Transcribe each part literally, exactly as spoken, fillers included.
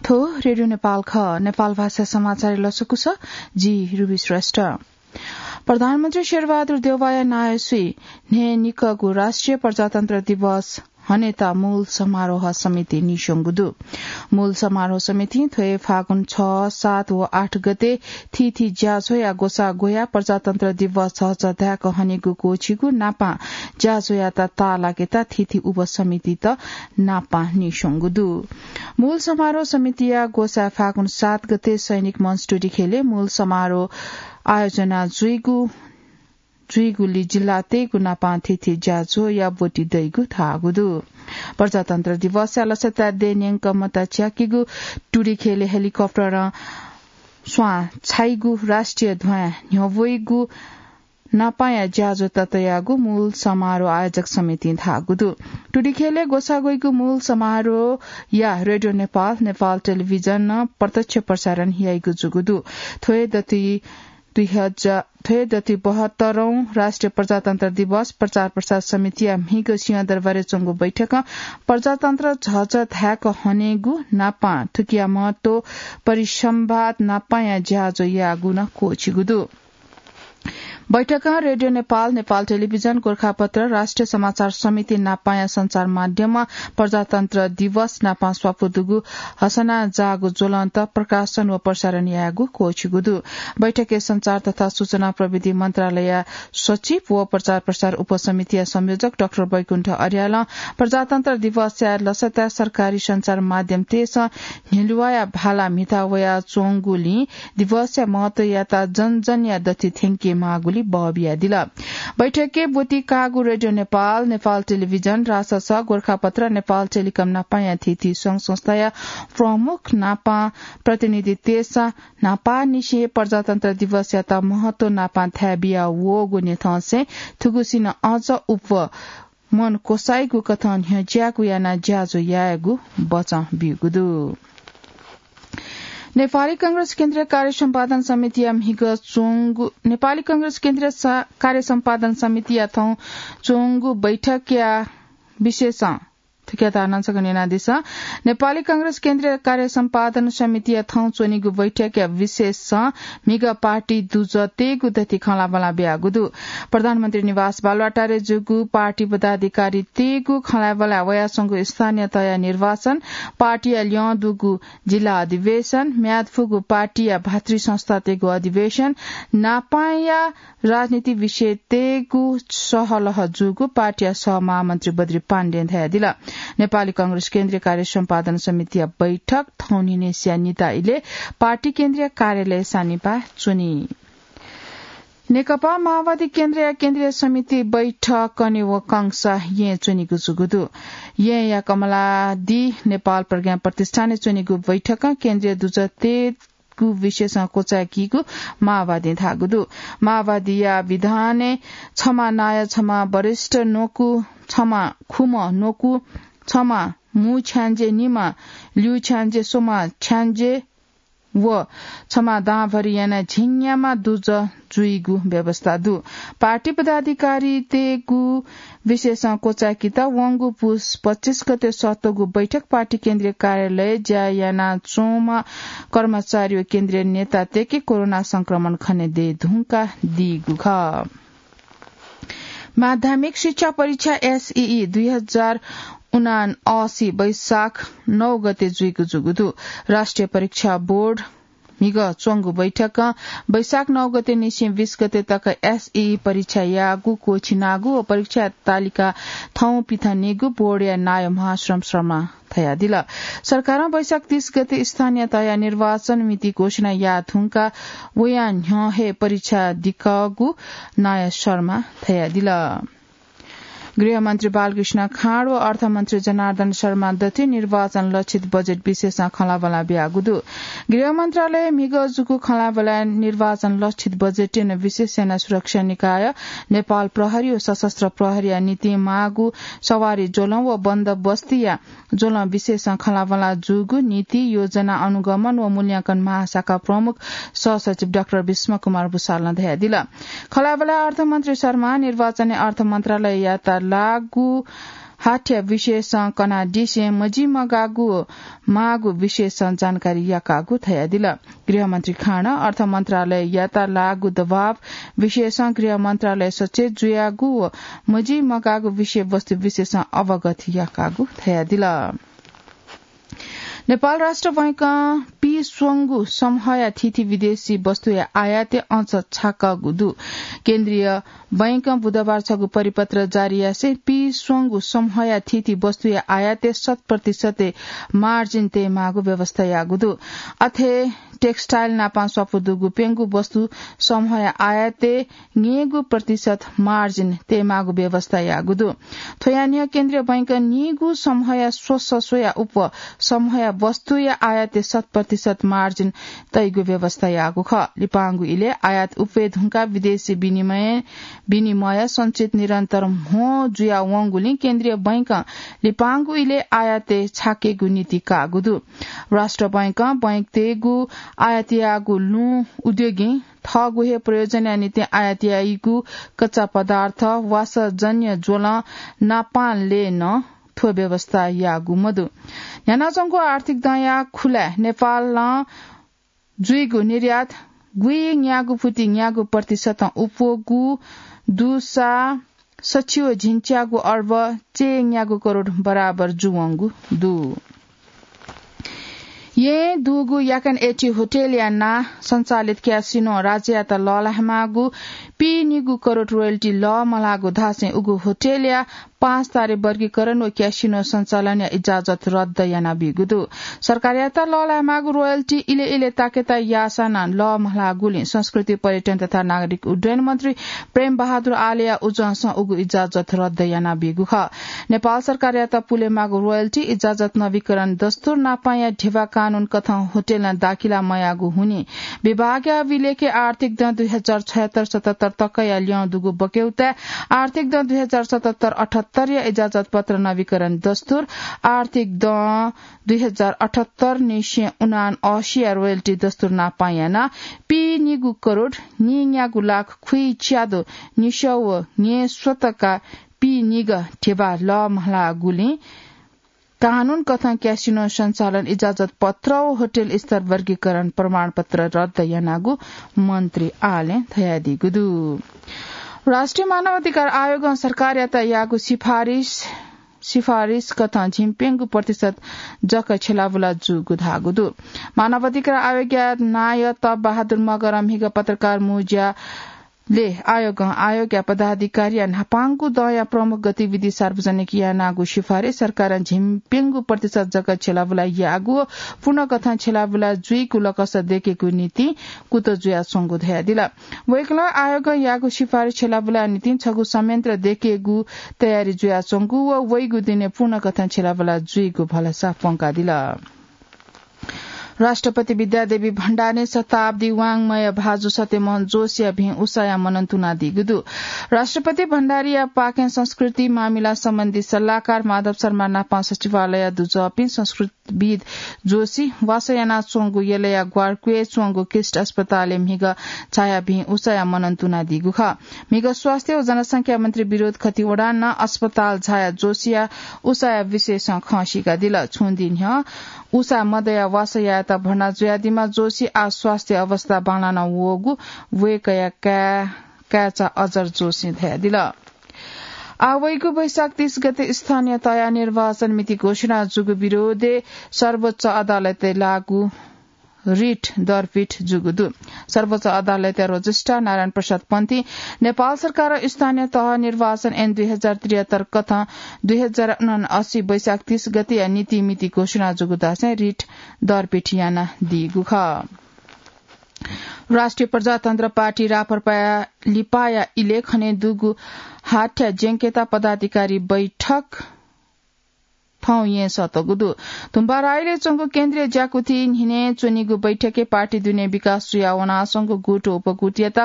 थ्व रेडियो नेपाल खः। नेपाल भाषा समाचार लसकुस, जि रुबी श्रेष्ठ। प्रधानमन्त्री शेरबहादुर देउवाया नायःसुइ न्हय्‌निकःगु राष्ट्रिय प्रजातन्त्र दिवस हनेत मूल समारोह समिति नीस्वंगु दु। मूल समारोह समितिं थ्व हे फागुन छ, सात व आठ गते थीथी ज्याझ्वःया ग्वसाः ग्वयाः प्रजातन्त्र दिवस झःझः धाय्‌क हनेगु क्वःछिगु नापं ज्याझ्वःयात ताःलाकेत थीथी उपसमितित नापं नीस्वंगु दु। मूल समारोह समितिया ग्वसाः फागुन सात गते सैनिक मञ्च टुडिखेलय् मूल समारोह आयोजना जुइगु जुइगुली जिल्लातय्‌गु नापं थीथी ज्याझ्वःया ब्वति दइगु धाःगु दु। प्रजातन्त्र दिवसया लसताय् दय्‌न्यंक मता च्याकीगु टुडिखेलय् हेलिकप्टरं स्वां छाइगु, राष्ट्रिय ध्वजां न्ह्यब्वइगु नापंया ज्याझ्वः तयागु मूल समारोह आयोजक समितिं धाःगु दु। टुडिखेलय् ग्वसाः ग्वइगु मूल समारोहया रेडियो नेपाल, नेपाल टेलिभिजनं प्रत्यक्ष प्रसारण याइगु जूगु दु। थ्व हे दति दुई हजार, थ्व हे दति बहत्तरौं राष्ट्रिय प्रजातन्त्र दिवस प्रचार प्रसार समितिया म्हिगः सिंहदरबारय् च्वंगु बैठकं प्रजातन्त्र झःझः धाय्‌क हनेगु नापं थुकिया महत्व परिसंवाद नापंया ज्याझ्वः याःगु नं क्वःछिगु दु। बैठकं रेडियो नेपाल, नेपाल टेलिभिजन, गोरखापत्र, राष्ट्रिय समाचार समिति नापंया सञ्चार माध्यमं प्रजातन्त्र दिवस नापं स्वापू दुगु हसना जाःगु ज्वलन्त प्रकाशन व प्रसारण यायेगु क्वःछिगु दु। बैठकय् सञ्चार तथा सूचना प्रविधि मन्त्रालयया सचिव व प्रचार प्रसार उपसमितिया संयोजक डाक्टर वैकुण्ठ अर्यालं प्रजातन्त्र दिवसया लसताय् सरकारी सञ्चार माध्यमतय्‌सं न्हिलुवाया भाला म्हिता वयाच्वंगुलिं दिवसया महत्वयात जनजनया दथुइ थ्यंके माःगुली बः बियादिल। बैठकय् ब्वति काःगु रेडियो नेपाल, नेपाल टेलिभिजन, रासस, गोरखापत्र, नेपाल टेलिकम नापंया थीथी संघ संस्थाया प्रमुख नापं प्रतिनिधितय्‌सं न्हापांनिसें प्रजातन्त्र दिवसयात महत्व नापं थाय् बिया वःगु न्ह्यथंसें थुगुसिनं अझ उप मन क्वसाइगु कथं न्ह्यज्याःगु यानाः ज्याझ्वः यायेगु बचं ब्यूगु दु। नेपाली कांग्रेस केन्द्रीय कार्य सम्पादन समितिया म्हिगः च्वंगु, नेपाली कांग्रेस केन्द्रीय सा-, कार्य सम्पादन समितिया थौं च्वंगु बैठकया विशेषं थुकिया धारणा छकः न्यनादिसँ। नेपाली कांग्रेस केन्द्रीय कार्य सम्पादन समितिया थौं च्वनीगु बैठकया विशेषं म्हिगः पार्टी दुजः तयेगु दथुइ खँल्हाबल्हा बियागु दु। प्रधानमन्त्री निवास बालुवाटारय् जूगु पार्टी पदाधिकारीतय्‌गु खँल्हाबल्हा वयाच्वंगु स्थानीय तहया निर्वाचन, पार्टीया ल्यं दुगु जिल्ला अधिवेशन, म्याद फुगु पार्टीया भातृ संस्थातय्‌गु अधिवेशन, नापंया राजनीति विषयतय्‌गु सहलह जूगु पार्टीया सहमहामन्त्री बद्री पाण्डें धयादिल। नेपाली कांग्रेस केन्द्रीय कार्य सम्पादन समितिया बैठक थौंनिनिसिया निता इलय् पार्टी केन्द्रीय कार्यालय सानिपाः च्वनी। नेकपा माओवादी केन्द्रया केन्द्रीय समिति बैठक कने वंकंसा येँय् च्वनीगु जूगु दु। येँया कमलादी नेपाल प्रज्ञा प्रतिष्ठानय् च्वनीगु बैठकं केन्द्रीय दुजः तयेगु विषयसं क्वचाय्‌कीगु माओवादीं धाःगु दु। माओवादीया विधानय् छम्ह नायः, छम्ह वरिष्ठ न्वकू, छम्ह खुम्ह न्वकू, छम्ह मू छ्याञ्जे निम्ह, ल्यू छ्याञ्जे स्वम्ह छ्याञ्जे व छम्ह दांभरि यानाः झिंन्याम्ह दुजः जुइगु व्यवस्था दु। पार्टी पदाधिकारीतय्‌गु विषयसं क्वचाय्‌केत वंगु पुस पच्चिस गते सःतःगु बैठक पार्टी केन्द्रीय कार्यालयय् ज्या यानाच्वंम्ह कर्मचारी व केन्द्रीय नेतातय्‌के कोरोना संक्रमण खने दये धुंकादीगु खः। माध्यमिक शिक्षा परीक्षा एसईई दुई हजार उनासी वैशाख नौ गते जुइगु जूगु दु। राष्ट्रिय परीक्षा बोर्ड म्हिगः च्वंगु बैठकं वैशाख नौ गते निसें बीस गते तक एसईई परीक्षा यायेगु क्वःछिनागु व परीक्षा तालिका थौं पिथनेगु बोर्डया नायः महाश्रम शर्मां धयादिल। सरकारं वैशाख तीस गते स्थानीय तहया निर्वाचन मिति घोषणा याये धुंकाः वया न्ह्यः हे परीक्षा दिकःगु नायः शर्मां धयादिल। गृहमन्त्री बालकृष्ण खाँड व अर्थमन्त्री जनार्दन शर्मा दथुइ निर्वाचन लक्षित बजेट विषयसं खँल्हाबल्हा बियागु दु। गृह मन्त्रालयय् म्हिगः जूगु खँल्हाबल्हाय् निर्वाचन लक्षित बजेटय् नं विशेष सेना सुरक्षा निकाय, नेपाल प्रहरी व सशस्त्र प्रहरीया निंतिं माःगु सवारी ज्वलं व बन्दोबस्तीया ज्वलं विषयसं खँल्हाबल्हा जूगु नीति, योजना, अनुगमन व मूल्यांकन महाशाखा प्रमुख सहसचिव डाक्टर भीष्म कुमार भुसालं धयादिल। खँल्हाबल्हाय् अर्थमन्त्री शर्मां निर्वाचनय् अर्थ मन्त्रालययात लागू हाथ्या विषयसं कनादिसें मजिमगाःगु माःगु विषयसं जानकारी याकागु धयादिल। गृहमन्त्री खाँनं अर्थ मन्त्रालययात लाःगु दबाव विषयसं गृह मन्त्रालय सचेत जुयागु व मजिमगाःगु विषयवस्तु विषयसं अवगत याकागु धयादिल। नेपाल राष्ट्र बैंकं पीस्वंगु समूहया थीथी विदेशी वस्तुया आयातय् अँच छाकागु दु। केन्द्रीय बैंकं बुधबार छगू परिपत्र जारी यासें पीस्वंगु समूहया थीथी वस्तुया आयातय् शत प्रतिशतय् मार्जिन तयेमाःगु व्यवस्था याःगु दु। अथे textile नापं स्वापू दुगु प्यंगू वस्तु समूहया आयातय् न्यय्गू प्रतिशत मार्जिन तयेमाःगु व्यवस्था याःगु दु। थ्वया न्ह्यः केन्द्रीय बैंकं न्यय्गू समूहया स्वसस्वया उप समूहया वस्तुया आयातय् शत प्रतिशत मार्जिन तइगु व्यवस्था याःगु खः। लिपांगु इलय् आयात उप्वये धुंकाः विदेशी विनिमय, विनिमय सञ्चित निरन्तर म्हो जुया वंगुलिं केन्द्रीय बैंकं लिपांगु इलय् आयातय् छाकेगु नीति काःगु दु। राष्ट्र बैंकं बैंकतय्गु आयात याःगु लुँ उद्योगीं थःगु हे प्रयोजनया निंतिं आयात याइगु कच्चा पदार्थ, वासःजन्य ज्वलं नापांलय् नं थ्व व्यवस्था याःगु मदु। न्ह्यानाच्वंगु आर्थिक दँया खुलाय् नेपालं जुइगु निर्यात गुइन्यागू फुति न्यागू प्रतिशतं उप्वःगु दुसा सछि व झिंच्यागू अर्ब चय्न्यागू करोड बराबर जुवंगु दु। येँ दुगु याकन एटी होटलया नां सञ्चालित क्यासिनो राज्ययात लःल्हायेमाःगु पीनिगू करोड रोयल्टी लःमल्हाःगु धासें उगु होटलया पाँच तारे वर्गीकरण व क्यासिनो सञ्चालनया इजाजत रद्द यानाबीगु दु। सरकारयात लःल्हायेमाःगु रोयल्टी इलय् इलय् ताकेता याःसां नं लःमल्हाःगुलिं संस्कृति, पर्यटन तथा नागरिक उड्डयन मन्त्री प्रेम बहादुर आलेया उजंसं उगु इजाजत रद्द यानाबीगु खः। नेपाल सरकारयात पुलेमाःगु रोयल्टी इजाजत नवीकरण दस्तुर नापांया ध्यबा कानून कथं होटलं दाखिला मयाःगु हुनिं विभागया अभिलेखय् आर्थिक दँ दुई हजार छयहत्तर सतहत्तर तकया ल्यं दुगु बक्यौताय् आर्थिक दँ दुई हजार सतहत्तर अठहत्तरया इजाजत पत्र नवीकरण दस्तुर आर्थिक दँ दुई हजार अठहत्तर निसें उनानअसीया रोयल्टी दस्तुर नापां यानाः पीनिगू करोड नीन्यागू लाख खुइच्यादँ निसः व न्यय्स्वतका पीनिगः ध्यबा लःमल्हाःगुलिं कानून कथं क्यासिनो सञ्चालन इजाजत पत्र व होटल स्तर वर्गीकरण प्रमाणपत्र रद्द यानागु मन्त्री आलें धयादीगु दु। राष्ट्रिय मानव अधिकार आयोगं सरकारयात याःगु सिफारिस, सिफारिस कथं झिंप्यंगू प्रतिशत जक छ्यलाबुला जूगु धाःगु दु। मानव अधिकार आयोगया नायः तप बहादुर मगरं म्हिगः पत्रकार मुँज्यालय् आयोगं आयोगया पदाधिकारीया न्हापांगु दँया प्रमुख गतिविधि सार्वजनिक यानागु सिफारिस सरकारं झिंप्यंगू प्रतिशत जक छ्यलाबुला याःगु व पूर्ण कथं छ्यलाबुला जुइगु लकस दय्केगु निंतिं कुतः जुयाच्वंगु धयादिल। वय्कलं आयोगं याःगु सिफारिस छ्यलाबुला निंतिं छगू संयन्त्र दय्केगु तयारी जुयाच्वंगु व वइगु दिनय् पूर्ण कथं छ्यलाबुला जुइगु भलसा प्वंकादिल। राष्ट्रपति विद्यादेवी भण्डारीं शताब्दी वाङ्मय भाजु सत्यमोहन जोशीया भिं उषाया मनन तुनादीगु दु। राष्ट्रपति भण्डारीया पाखें संस्कृति मामिला सम्बन्धी सल्लाहकार माधव शर्मा नापं सचिवालय दुजःपिं संस्कृतिविद् जोशी वासः यानाच्वंगु यलया ग्वारक्वय् च्वंगु क्रिस्ट अस्पतालय् म्हिगः झायाः भिं उषाया मनन तुनादीगु खः। म्हिगः स्वास्थ्य व जनसंख्या मन्त्री विनोद खतिवडां नं अस्पताल झायाः जोशीया उषाया विषयसं खँ सीकादिल। छुं दिं न्ह्यः उषा मदयाः वासः यायेत भर्ना जुयादीम्ह जोशी आः स्वास्थ्य अवस्था बांलाना वःगु वय्कःया काय्, काय्चा अजर जोशीं धयादिल। आः वइगु वैशाख तीस गते स्थानीय तहया निर्वाचन मिति घोषणा जूगु विरोधय् सर्वोच्च अदालतय् लाःगु रिट दरपिट जूगु दु। सर्वोच्च अदालतया रजिस्ट्रार नारायण प्रसाद पन्थी नेपाल सरकारं स्थानीय तह निर्वाचन ऐन दुई हजार त्रिहत्तर कथं दुई हजार उनासी वैशाख तीस गतेया नीतिमिति घोषणा जूगु धासें रिट दरपिट यानादीगु खः। राष्ट्रिय प्रजातन्त्र पार्टी राप्रपाया लिपाया इलय् खनेदुगु हाथ्या ज्यंकेता पदाधिकारी बैठक खँ यें सःतःगु दु। तुम्बा राईले च्वंगु केन्द्रीय ज्याकुथि न्हिने च्वनीगु बैठकय् पार्टी दुने विकास जुया वनाच्वंगु गुट उपगुटयात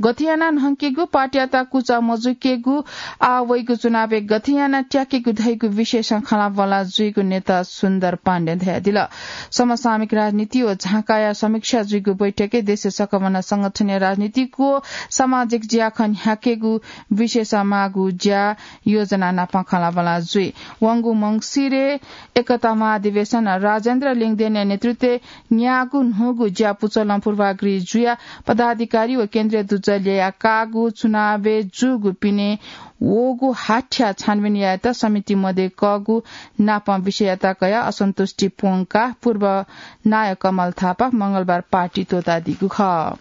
गथे यानाः न्हंकेगु, पार्टीयात कुचा मजुकेगु, आः वइगु चुनावय् गथे यानाः त्याकेगु धइगु विषयसं खँल्हाबल्हा जुइगु नेता सुन्दर पाण्डें धयादिल। समसामयिक राजनीति व झाँकाया समीक्षा जुइगु बैठकय् देशय् सकभनं संगठनया राजनीतिक व सामाजिक ज्याखँ न्ह्याकेगु विषयसं माःगु ज्या योजना नाप खँल्हाबल्हा जुइ। वंगु मंसिरय् एकता महाधिवेशन राजेन्द्र लिङदेनया नेतृत्वय् न्याःगु न्हूगु ज्या पुचलं पूर्वाग्रही जुयाः पदाधिकारी व केन्द्रीय दुजः ल्ययाः काःगु चुनावय् जूगु पिने वःगु हाथ्या छानबिन यायेत समिति मध्ये कःगु नापं विषययात कयाः असन्तुष्टि प्वंकाः पूर्व नायः कमल थापा मंगलबार पार्टी त्वःतादीगु खः।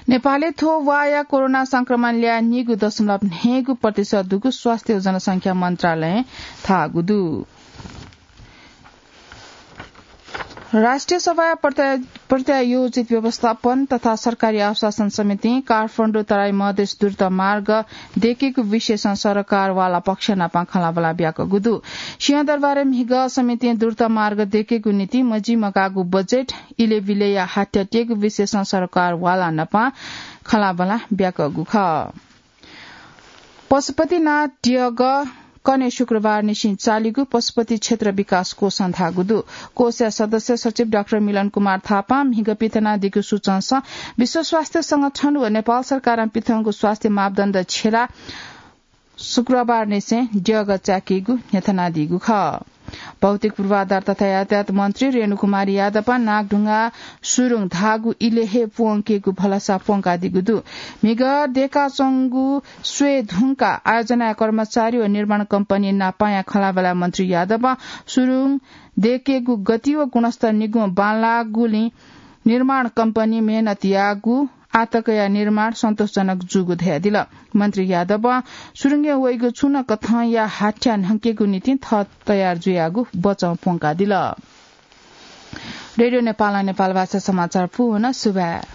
नेपालय् थ्व वाःया कोरोना संक्रमण ल्याः नीगु दशमलव न्हय्गू प्रतिशत दुगु स्वास्थ्य व जनसंख्या मन्त्रालयं धाःगु दु। राष्ट्रिय सभाया प्रत्या-, प्रत्यायोजित व्यवस्थापन तथा सरकारी आश्वासन समितिं काठमाडौं तराई मधेस द्रुत मार्ग देकेगु विषयसं सरकार वाला पक्ष नाप खँल्हाबल्हा ब्याकःगु दु। सिंहदरबारय् म्हिगः समितिं द्रुत मार्ग देकेगु निंतिं मजिमकाःगु बजेट इलेबिलेया हाथ्या त्यःगु विषयसं सरकार वाला नाप खँल्हाबल्हा ब्याकःगु खः। पशुपतिनाथ द्यःगः कन्हय् शुक्रबार निसें चालीगु पशुपति क्षेत्र विकास कोषं धाःगु दु। कोषया सदस्य सचिव डाक्टर मिलन कुमार थापां म्हिगः पिथनादीगु सूचंसं विश्व स्वास्थ्य संगठन व नेपाल सरकारं पिथंगु स्वास्थ्य मापदण्ड छ्यलाः शुक्रबार निसें द्यःगः चाकीगु न्ह्यथनादीगु खः। भौतिक पूर्वाधार तथा यातायात मन्त्री रेणुकुमारी यादवं नागढुङ्गा सुरुङ धाःगु इले हे प्वंकेगु भलसा प्वंकादीगु दु। म्हिगः देकाच्वंगु स्वये धुंकाः आयोजनाया कर्मचारी व निर्माण कम्पनी नापंया खँल्हाबल्हा मन्त्री यादवं सुरुङ देकेगु गति व गुणस्तर निगू बांलाःगुलिं निर्माण कम्पनी मेहनत याःगु आतकया निर्माण सन्तोषजनक जूगु धयादिल। मन्त्री यादवं सुरुङय् वइगु छुं नं कथंया हाथ्या न्हंकेगु निंतिं थः तयार जुयागु बचं प्वंकादिल। रेडियो नेपालं नेपाल भाषा समाचार पूवं सुभाय्।